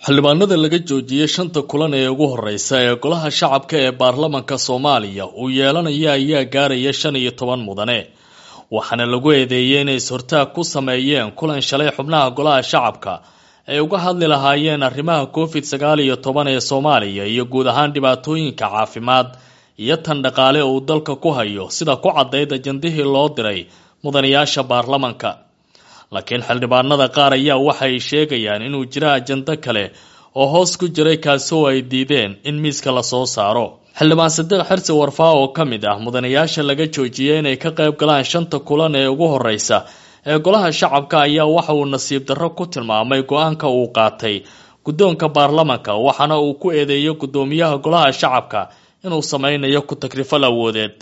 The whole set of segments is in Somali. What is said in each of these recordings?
Xildhibaanada laga joojiyay shanta kulan ee ugu horeysa ee golaha shacabka ee baarlamaanka Soomaaliya uu yeelanaya ayaa gaaraya 15 mudane, waxaana lagu eedeeyay inay is-hortaag ku sameeyeen kulan shalay xubnaha golaha shacabka ay uga hadli lahaayeen arrimaha Covid-19 ee Soomaaliya iyo guud ahaan dhibaatooyinka caafimaad iyo tan dhaqaale uu dalka ku hayo, sida ku caddayd ajandihii loo diray mudanayaasha baarlamaanka. Laakiin xildhibaanada qaar ayaa waxay sheegayaan inuu jiro ajando kale oo hoos ku jiray, kaasoo ay diideen in miiska lasoo saaro. Xildhibaan Sadiiq Xirsi Warfaa oo ka mid ah mudanayaasha laga joojiyay inay ka qayb galaan shanta kulan ee ugu horeysa ee golaha shacabka ayaa waxa uu nasiib darro ku tilmaamay go-aanka uu qaatay guddoonka baarlamaanka, waxaana uu ku eedeeyay guddoomiyaha golaha shacabka inuu sameynayo ku takrifal awoodeed.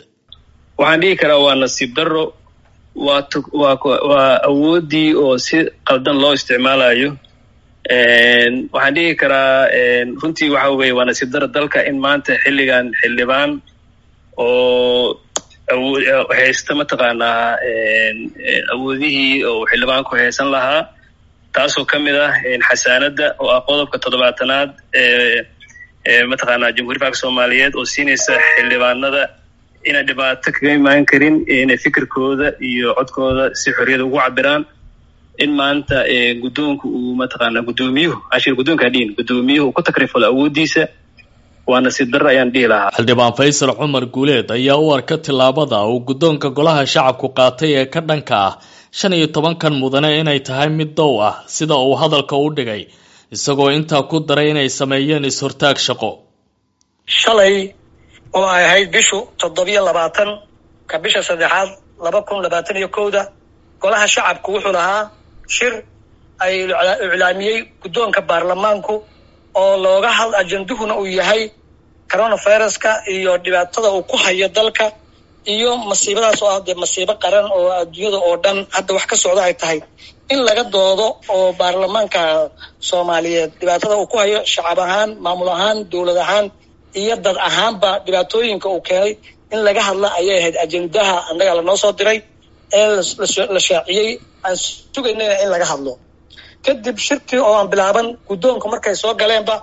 Waxaan dhihi karaa waa nasiib darro, waa awooddii oo si qaldan loo isticmaalayo. Waxaan dhihi karaa runtii waxa weye waa nasiib darro dalka in maanta xilligan xildhibaan oo haysta mataqaanaa awoodihii oo xildhibaanku haysan lahaa, taasoo ka mid ah xasaanadda oo ah qodobka 70aad ee mataqaanaa Jamhuuriya Faalka Soomaaliyeed oo siinaysa xildhibaanada inay dhibaato kaga imaan karin inay fikirkooda iyo codkooda si xorriyada ugu cabiraan, in maanta guddoonku uu mataqaanaa guddoomiyuhu ashir guddoonka dhihin guddoomiyuhu ku takrifalo awooddiisa, waa nasiib darro ayaan dhihi lahaa. Xildhibaan Faysal Cumar Guuleed ayaa u arka tillaabada uu guddoonka golaha shacabku qaatay ee ka dhanka ah 15-kan mudane inay tahay mid dow ah, sida uu hadalka u dhigay, isagoo intaa ku daray inay sameeyeen is-hortaag shaqo. Shalay oo ay ahayd bishu 27 ka bisha saddexaad 2021-da, golaha shacabku wuxuu lahaa shir ay iclaamiyey guddoonka baarlamaanku oo looga had ajanduhuna uu yahay coronaviruska iyo dhibaatada uu ku hayo dalka iyo masiibadaas oo ah dee masiibo qaran oo adduunyada oo dhan hadda wax ka socda ay tahay in laga doodo, oo baarlamaanka Soomaaliyeed dhibaatada uu ku hayo shacab ahaan, maamul ahaan, dowlad ahaan iyo dad ahaanba dhibaatooyinka uu keenay in laga hadla ayay ahayd ajendaha annaga lanoo soo diray ee la shaaciyey, aan sugaynayna in laga hadlo. Kadib shirkii oo aan bilaaban, guddoonku markay soo galeenba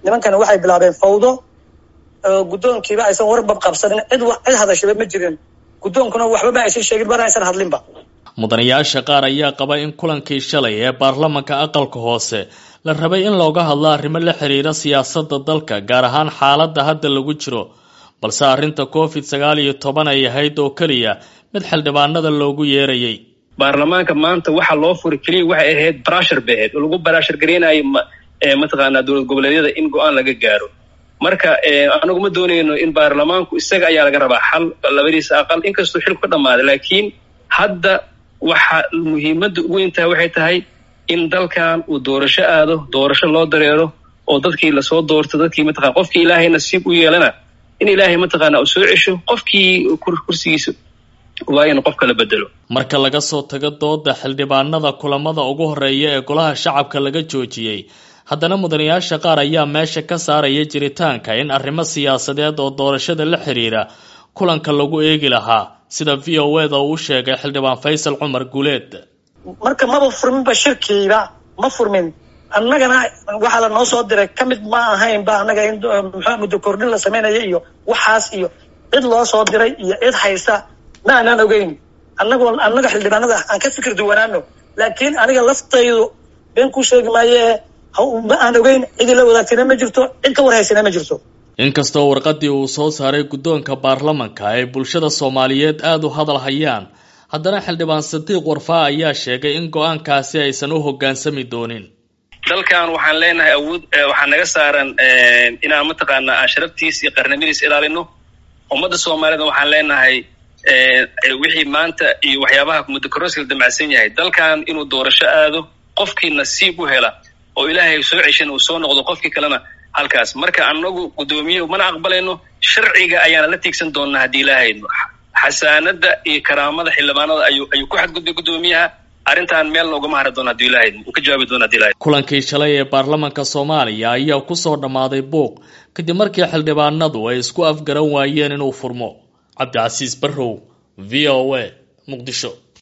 nimankana waxay bilaabeen fawdo. Guddoonkiiba aysan warbab qabsanin, cid cid hadashaba ma jirin, guddoonkuna waxba ma aysan sheegin, mana aysan hadlinba. Mudanayaasha qaar ayaa qaba in kulankii shalay ee baarlamaanka aqalka hoose la rabay in looga hadlo arrimo la xiriira siyaasadda dalka, gaar ahaan xaaladda hadda lagu jiro, balse arrinta Covid-19 ay ahayd oo keliya mid xildhibaanada loogu yeerayay. Baarlamaanka maanta waxa loo furi keliya waxay ahayd brashar bay ahayd oo lagu brashar gareynayo mataqaanaa dowlad goboleedyada in go-aan laga gaaro. Marka anagu ma doonayno in baarlamaanku, isaga ayaa laga rabaa xal labadiisa aqal, inkastuu xilku ka dhammaaday, laakiin hadda waxa muhiimadda ugu weyn tahay waxay tahay in dalkan uu doorasho aado, doorasho loo dareero oo dadkii lasoo doorto, dadkii mataqana qofkii Ilaahay nasiib u yeelana in Ilaahay mataqaana uu soo cesho, qofkii kursigiisa waa in qof kala bedelo. Marka laga soo tago dooda xildhibaanada kulamada ugu horeeya ee golaha shacabka laga joojiyey, haddana mudanayaasha qaar ayaa meesha ka saaraya jiritaanka in arrimo siyaasadeed oo doorashada la xiriira kulanka lagu eegi lahaa, sida VOA da uu sheegay xildhibaan Faysal Cumar Guuleed. Marka maba furminba shirkiiba, ma furmin. Annagana waxaa lanoo soo diray ka mid ma ahaynba annaga in muxua muddo kordhin la sameynaya iyo waxaas, iyo cid loo soo diray iyo cid haysa ma aanaan ogeyn. Annagu annaga xildhibaanada aan ka fikir duwanaano, laakiin aniga laftaydu been kuu sheegi maayee, ma aan ogeyn, cidii la wadaagtayna ma jirto, cid ka warhaysana ma jirto. Inkastoo warqadii uu soo saaray guddoonka baarlamanka ay bulshada Soomaaliyeed aada u hadal hayaan, haddana xildhibaan Sadiiq Warfaa ayaa sheegay in go-aankaasi aysan u hoggaansami doonin. Dalkan waxaan leenahay awood, waxaa naga saaran inaan mataqaanaa aan sharaftiisa iyo qarnimadiisa ilaalino. Ummadda Soomaaliyedna waxaan leenahay wixii maanta iyo waxyaabaha muddokororsi la damacsan yahay, dalkan inuu doorasho aado, qofkii nasiib u hela oo Ilaahay soo ceshan uu soo noqdo, qofkii kalena halkaas. Marka anagu guddoomiye mana aqbalayno, sharciga ayaana la tiigsan doonaa haddii Ilaahayno. Xasaanada iyo karaamada xildhibaanada ayuu ku xadgudbay guddoomiyaha, arrintan meel loogama hari doono haddii Ilahay uu ka jawaabi doono hadii Ilahay. Kulankii shalay ee baarlamaanka Soomaaliya ayaa kusoo dhammaaday buuq kadib markii xildhibaanadu ay isku afgaran waayeen inuu furmo. Cabdicasiis Barrow, VOA, Muqdisho.